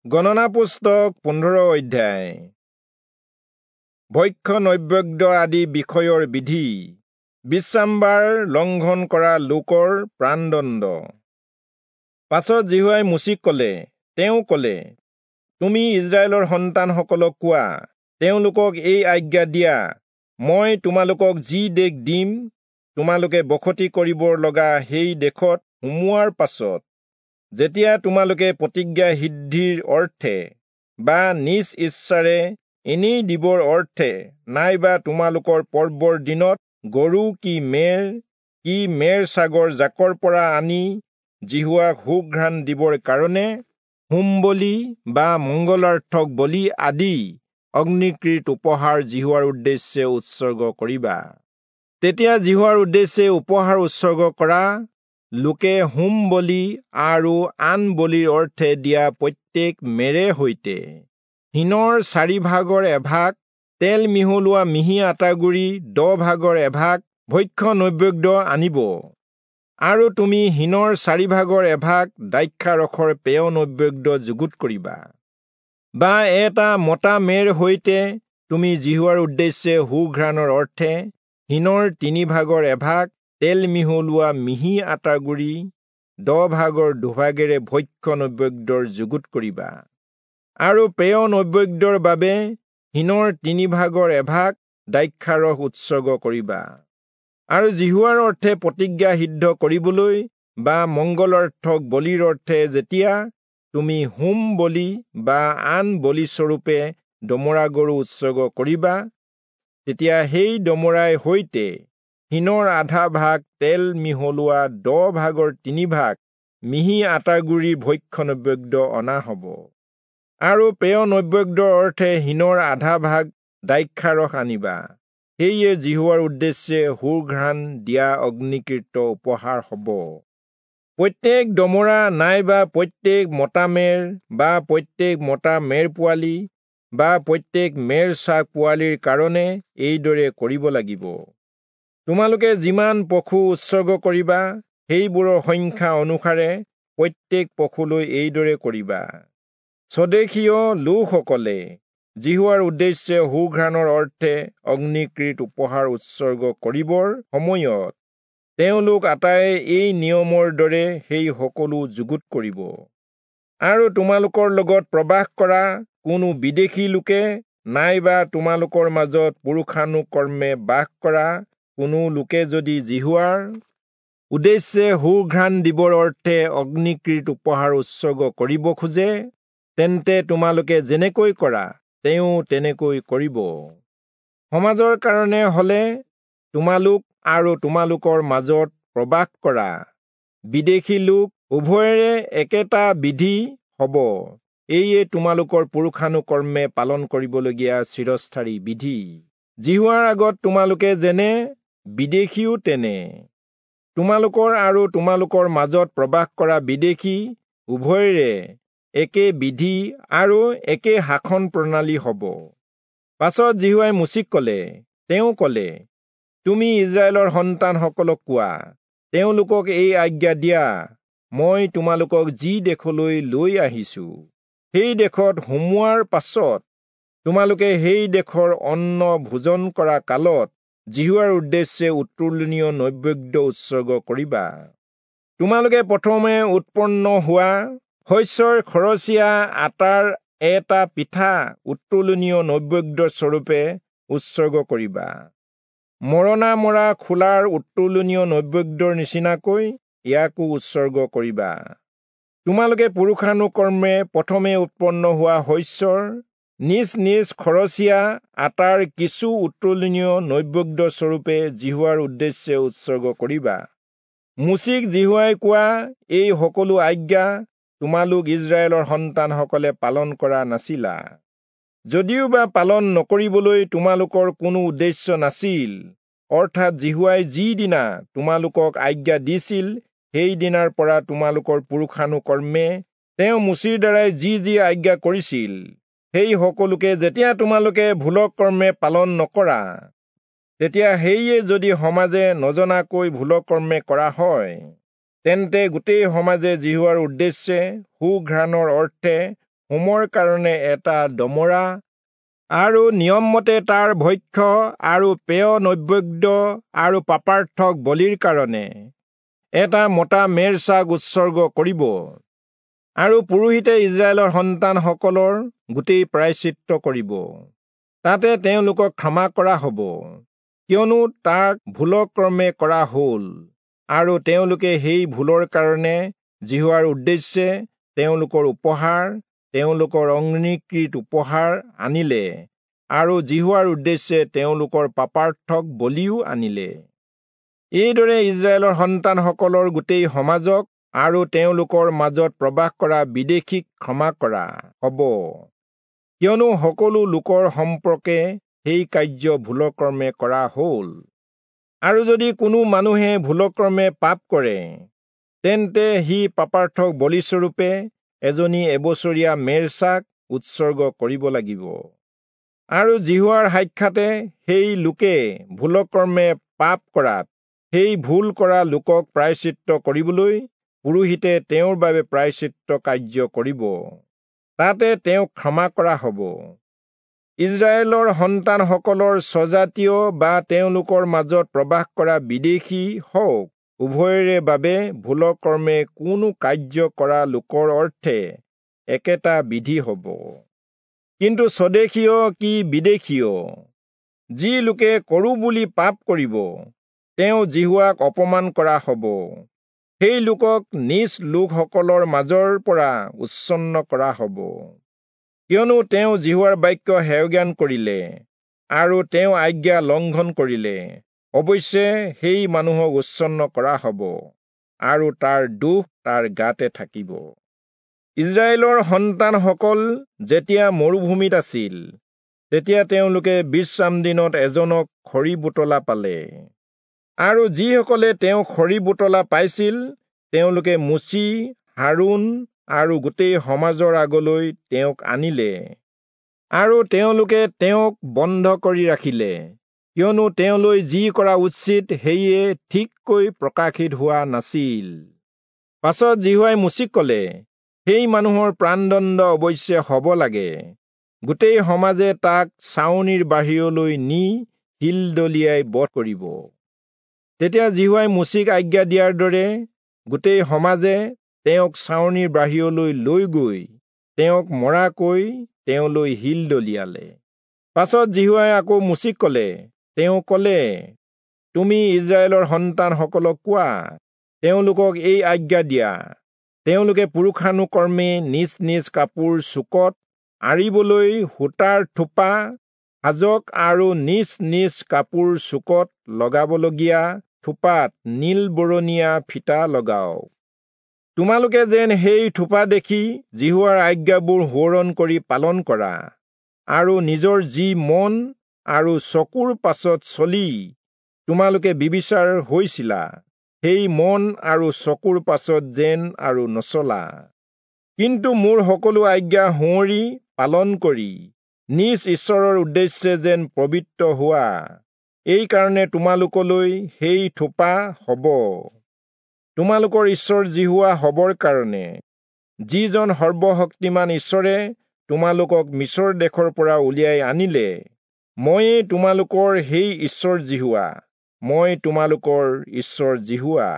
গণনা পুস্তক 15 অধ্যায়। ভক্ষ্য নৈবেদ্য আদি বিষয়ৰ বিধি। বিশ্ৰামবাৰ লংঘন কৰা লোকৰ প্ৰাণদণ্ড। পাছত যিহোৱাই মোচিক কলে, তেওঁ কলে, তুমি ইস্ৰায়েলৰ সন্তানসকলক কোৱা, তেওঁলোকক এই আজ্ঞা দিয়া, মই তোমালোকক যি দেশ দিম, তোমালোকে বসতি কৰিবৰ লগা সেই দেশত সোমোৱাৰ পাছত যেতিয়া তোমালোকে প্ৰতিজ্ঞা সিদ্ধিৰ অৰ্থে বা নিজ ইচ্ছাৰে এনেই দিবৰ অৰ্থে নাইবা তোমালোকৰ পৰ্বৰ দিনত গৰু কি মেৰ কি মেৰ ছাগৰ জাকৰ পৰা আনি যিহোৱাক সুঘ্ৰাণ দিবৰ কাৰণে হোম বলি বা মংগলাৰ্থক বলি আদি অগ্নিকৃত উপহাৰ যিহোৱাৰ উদ্দেশ্যে উৎসৰ্গ কৰিবা, তেতিয়া যিহোৱাৰ উদ্দেশ্যে উপহাৰ উৎসৰ্গ কৰা লোকে হোম বলি আৰু আন বলিৰ অৰ্থে দিয়া প্ৰত্যেক মেৰে সৈতে হিনৰ 4 ভাগৰ এভাগ তেল মিহলোৱা মিহি আটাগুড়ি 10 ভাগৰ এভাগ ভক্ষ্য নৈবেদ্য আনিব, আৰু তুমি হিনৰ 4 ভাগৰ এভাগ দ্ৰাক্ষাৰসৰ পেয় নৈবেদ্য যুগুত কৰিবা। বা এটা মতা মেৰ সৈতে তুমি যিহোৱাৰ উদ্দেশ্যে সুঘ্ৰাণৰ অৰ্থে হিনৰ 3 ভাগৰ এভাগ তেল মিহলোৱা মিহি আটাগুড়ি 10 ভাগৰ 2 ভাগেৰে ভক্ষ্য নৈবেদ্যৰ যুগুত কৰিবা, আৰু পেয় নৈবেদ্যৰ বাবে হিনৰ 3 ভাগৰ এভাগ দ্ৰাক্ষাৰস উৎসৰ্গ কৰিবা। আৰু যিহোৱাৰ অৰ্থে প্ৰতিজ্ঞা সিদ্ধ কৰিবলৈ বা মংগলাৰ্থক বলিৰ অৰ্থে যেতিয়া তুমি হোম বলি বা আন বলিস্বৰূপে দমৰা গৰু উৎসৰ্গ কৰিবা, তেতিয়া সেই দমৰাই সৈতে হিনৰ আধা ভাগ তেল মিহলোৱা 10 ভাগৰ 3 ভাগ মিহি আটাগুড়িৰ ভক্ষ্য নৈবেদ্য অনা হ'ব, আৰু পেয় নৈবেদ্যৰ অৰ্থে হিনৰ আধা ভাগ দ্ৰাক্ষাৰস আনিবা। সেয়ে যিহোৱাৰ উদ্দেশ্যে সুঘ্ৰাণ দিয়া অগ্নিকৃত উপহাৰ হ'ব। প্ৰত্যেক দমৰা নাইবা প্ৰত্যেক মতা মেৰ বা প্ৰত্যেক মতা মেৰ পোৱালি বা প্ৰত্যেক মেৰ ছাগ পোৱালিৰ কাৰণে এইদৰে কৰিব লাগিব। তোমালোকে যিমান পশু উৎসৰ্গ কৰিবা, সেইবোৰৰ সংখ্যা অনুসাৰে প্ৰত্যেক পশুলৈ এইদৰে কৰিবা। স্বদেশীয় লোকসকলে যিহোৱাৰ উদ্দেশ্যে সুঘ্ৰাণৰ অৰ্থে অগ্নিকৃত উপহাৰ উৎসৰ্গ কৰিবৰ সময়ত তেওঁলোক আটায়ে এই নিয়মৰ দৰে সেই সকলো যুগুত কৰিব। আৰু তোমালোকৰ লগত প্ৰবাস কৰা কোনো বিদেশী লোকে নাইবা তোমালোকৰ মাজত পুৰুষানুকৰ্মে বাস কৰা কোনো লোকে যদি যিহোৱাৰ উদ্দেশ্যে সুঘ্ৰাণ দিবৰ অৰ্থে অগ্নিকৃত উপহাৰ উৎসৰ্গ কৰিব খোজে, তেন্তে তোমালোকে যেনেকৈ কৰা তেওঁ তেনেকৈ কৰিব। সমাজৰ কাৰণে হলে তোমালোক আৰু তোমালোকৰ মাজত প্ৰবাস কৰা বিদেশী লোক উভয়ৰে একেটা বিধি হ'ব। এইয়ে তোমালোকৰ পুৰুষানুকৰ্মে পালন কৰিবলগীয়া চিৰস্থায়ী বিধি। যিহোৱাৰ আগত তোমালোকে যেনে, বিদেশীও তেনে। তোমালোকৰ আৰু তোমালোকৰ মাজত প্ৰবাস কৰা বিদেশী উভয়ৰে একে বিধি আৰু একে শাসন প্ৰণালী হ'ব। পাছত যিহোৱাই মোচিক কলে, তেওঁ কলে, তুমি ইস্ৰায়েলৰ সন্তানসকলক কোৱা, তেওঁলোকক এই আজ্ঞা দিয়া, মই তোমালোকক যি দেশলৈ লৈ আহিছো, সেই দেশত সোমোৱাৰ পাছত তোমালোকে সেই দেশৰ অন্ন ভোজন কৰা কালত যিহোৱাৰ উদ্দেশ্যে উত্তোলনীয় নৈবেদ্য উৎসৰ্গ কৰিবা। তোমালোকে প্ৰথমে উৎপন্ন হোৱা শস্যৰ খৰচীয়া আটাৰ এটা পিঠা উত্তোলনীয় নৈবেদ্য স্বৰূপে উৎসৰ্গ কৰিবা। মৰণা মৰা খোলাৰ উত্তোলনীয় নৈবেদ্যৰ নিচিনাকৈ ইয়াকো উৎসৰ্গ কৰিবা। তোমালোকে পুৰুষানুকৰ্মে প্ৰথমে উৎপন্ন হোৱা শস্যৰ নিজ নিজ খৰচীয়া আটাৰ কিছু উত্তোলনীয় নৈবেদ্য স্বৰূপে যিহোৱাৰ উদ্দেশ্যে উৎসৰ্গ কৰিবা। মোচিক যিহোৱাই কোৱা এই সকলো আজ্ঞা তোমালোক ইস্ৰায়েলৰ সন্তানসকলে পালন কৰা নাছিলা। যদিওবা পালন নকৰিবলৈ তোমালোকৰ কোনো উদ্দেশ্য নাছিল, অৰ্থাৎ যিহোৱাই যিদিনা তোমালোকক আজ্ঞা দিছিল সেইদিনাৰ পৰা তোমালোকৰ পুৰুষানুকৰ্মে তেওঁ মোচিৰ দ্বাৰাই যি যি আজ্ঞা কৰিছিল সেই সকলোকে যেতিয়া তোমালোকে ভুলকৰ্মে পালন নকৰা, তেতিয়া সেয়ে যদি সমাজে নজনাকৈ ভুলকৰ্মে কৰা হয়, তেন্তে গোটেই সমাজে যিহোৱাৰ উদ্দেশ্যে সুঘ্ৰাণৰ অৰ্থে হোমৰ কাৰণে এটা দমৰা আৰু নিয়মমতে তাৰ ভক্ষ্য আৰু পেয় নৈবেদ্য আৰু পাপাৰ্থক বলিৰ কাৰণে এটা মতা মেৰ ছাগ উৎসৰ্গ কৰিব। আৰু পুৰোহিতে ইস্ৰায়েলৰ সন্তানসকলৰ গোটেই প্ৰায়শ্চিত্ত কৰিব, তাতে তেওঁলোকক ক্ষমা কৰা হ'ব, কিয়নো তাক ভুলক্ৰমে কৰা হ'ল, আৰু তেওঁলোকে সেই ভুলৰ কাৰণে যিহোৱাৰ উদ্দেশ্যে তেওঁলোকৰ উপহাৰ, তেওঁলোকৰ অগ্নিকৃত উপহাৰ আনিলে, আৰু যিহোৱাৰ উদ্দেশ্যে তেওঁলোকৰ পাপাৰ্থক বলিও আনিলে। এইদৰে ইস্ৰায়েলৰ সন্তানসকলৰ গোটেই সমাজক আৰু তেওঁলোকৰ মাজত প্ৰবাস কৰা বিদেশীক ক্ষমা কৰা হ'ব, কিয়নো সকলো লোকৰ সম্পৰ্কে সেই কাৰ্য ভুলক্ৰমে কৰা হ'ল। আৰু যদি কোনো মানুহে ভুলক্ৰমে পাপ কৰে, তেন্তে সি পাপাৰ্থক বলিস্বৰূপে এজনী এবছৰীয়া মেৰ ছাগ উৎসৰ্গ কৰিব লাগিব। আৰু যিহোৱাৰ সাক্ষাতে সেই লোকে ভুলক্ৰমে পাপ কৰাত সেই ভুল কৰা লোকক প্ৰায়শ্চিত্ত কৰিবলৈ পুৰোহিতে তেওঁৰ বাবে প্ৰায়শ্চিত্ত কাৰ্য কৰিব, তাতে তেওঁক ক্ষমা কৰা হ'ব। ইস্ৰায়েলৰ সন্তানসকলৰ স্বজাতীয় বা তেওঁলোকৰ মাজত প্ৰবাস কৰা বিদেশী হওক, উভয়ৰে বাবে ভুলক্ৰমে কোনো কাৰ্য কৰা লোকৰ অৰ্থে একেটা বিধি হ'ব। কিন্তু স্বদেশীয় কি বিদেশীয়, যি লোকে কৰোঁ বুলি পাপ কৰিব, তেওঁ যিহোৱাক অপমান কৰা হ'ব। সেই লোকক নিজ লোকসকলৰ মাজৰ পৰা উচ্ছন্ন কৰা হ'ব, কিয়নো তেওঁ যিহোৱাৰ বাক্য হেয়জ্ঞান কৰিলে আৰু তেওঁ আজ্ঞা লংঘন কৰিলে। অৱশ্যে সেই মানুহক উচ্ছন্ন কৰা হ'ব, আৰু তাৰ দোষ তাৰ গাতে থাকিব। ইস্ৰায়েলৰ সন্তানসকল যেতিয়া মৰুভূমিত আছিল, তেতিয়া তেওঁলোকে বিশ্ৰাম দিনত এজনক খৰি বোটলা পালে, আৰু যিসকলে তেওঁ খৰি বোটলা পাইছিল, তেওঁলোকে মোচি, হাৰোণ আৰু গোটেই সমাজৰ আগলৈ তেওঁক আনিলে, আৰু তেওঁলোকে তেওঁক বন্ধ কৰি ৰাখিলে, কিয়নো তেওঁলৈ যি কৰা উচিত সেয়ে ঠিককৈ প্ৰকাশিত হোৱা নাছিল। পাছত যিহোৱাই মোচিক ক'লে, সেই মানুহৰ প্ৰাণদণ্ড অৱশ্যে হ'ব লাগে, গোটেই সমাজে তাক ছাউনিৰ বাহিৰলৈ নি শিল দলিয়াই বধ কৰিব। তেতিয়া যিহোৱাই মোচিক আজ্ঞা দিয়াৰ দৰে গোটেই সমাজে তেওঁক ছাউনিৰ বাহিৰলৈ লৈ গৈ তেওঁক মৰাকৈ তেওঁলৈ শিল দলিয়ালে। পাছত যিহোৱাই আকৌ মোচিক ক'লে, তেওঁ ক'লে, তুমি ইস্ৰায়েলৰ সন্তানসকলক কোৱা, তেওঁলোকক এই আজ্ঞা দিয়া, তেওঁলোকে পুৰুষানুকৰ্মে নিজ নিজ কাপোৰ চুকত আঁৰিবলৈ সূতাৰ থোপা সাজক আৰু নিজ নিজ কাপোৰ চুকত লগাবলগীয়া থোপাত নীল বৰণীয়া ফিটা লগাওক। তোমালোকে যেন সেই থোপা দেখি যিহোৱাৰ আজ্ঞাবোৰ সোঁৱৰণ কৰি পালন কৰা, আৰু নিজৰ যি মন আৰু চকুৰ পাছত চলি তোমালোকে বিবিচাৰ হৈছিলা, সেই মন আৰু চকুৰ পাছত যেন আৰু নচলা। কিন্তু মোৰ সকলো আজ্ঞা সোঁৱৰি পালন কৰি নিজ ঈশ্বৰৰ উদ্দেশ্যে যেন পবিত্ৰ হোৱা, এইকাৰণে তোমালোকলৈ সেই থোপা হ'ব। তোমালোকৰ ঈশ্বৰ যিহোৱা হ'বৰ কাৰণে, যিজন সৰ্বশক্তিমান ঈশ্বৰে তোমালোকক মিচৰ দেশৰ পৰা উলিয়াই আনিলে, ময়েই তোমালোকৰ সেই ঈশ্বৰ যিহোৱা, মই তোমালোকৰ ঈশ্বৰ যিহোৱা।